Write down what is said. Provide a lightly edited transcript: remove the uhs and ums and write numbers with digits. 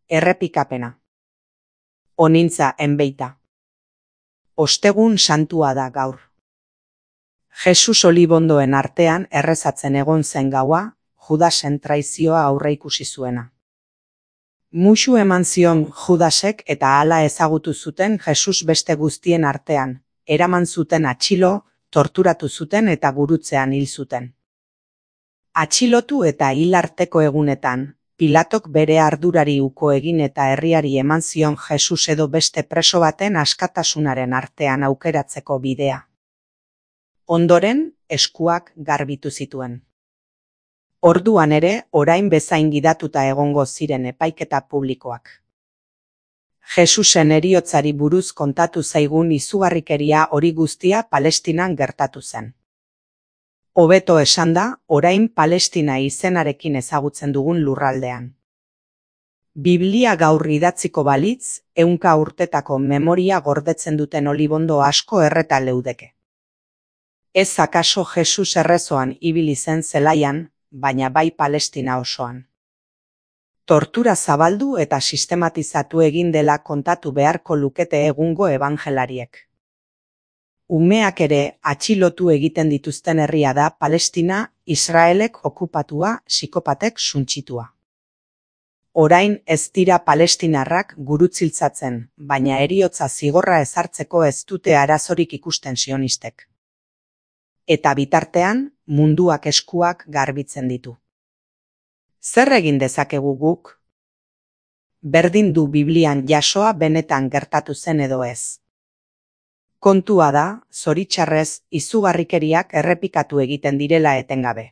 Errepikapena. Onintza enbeita. Ostegun santua da gaur. Jesus olibondoen artean errezatzen egon zen gaua, Judasen traizioa aurreikusi zuena. Musu eman zion Judasek eta hala ezagutu zuten Jesus beste guztien artean, eraman zuten atxilo, torturatu zuten eta gurutzean hil zuten. Atxilotu eta hil arteko egunetan, Pilatok bere ardurari uko egin eta herriari eman zion Jesus edo beste preso baten askatasunaren artean aukeratzeko bidea. Ondoren, eskuak garbitu zituen. Orduan ere, orain bezain gidatuta egongo ziren epaiketa publikoak. Jesusen heriotzari buruz kontatu zaigun izugarrikeria hori guztia Palestinan gertatu zen. Hobeto esanda, orain Palestina izenarekin ezagutzen dugun lurraldean. Biblia gaur idatziko balitz, 100 urtetako memoria gordetzen duten olibondo asko erreta leudeke. Ez akaso Jesus errezoan ibili zen zelaian, baina bai Palestina osoan. Tortura zabaldu eta sistematizatu egin dela kontatu beharko lukete egungo ebangelariek. Umeak ere atxilotu egiten dituzten herria da Palestina, Israelek okupatua, psikopatek suntsitua. Orain ez dira palestinarrak gurutziltzatzen, baina heriotza zigorra ezartzeko ez dute arazorik ikusten sionistek. Eta bitartean, munduak eskuak garbitzen ditu. Zer egin dezakegu guk? Berdin du Biblian jasoa benetan gertatu zen edo ez. Kontua da, zoritxarrez, izugarrikeriak errepikatu egiten direla etengabe.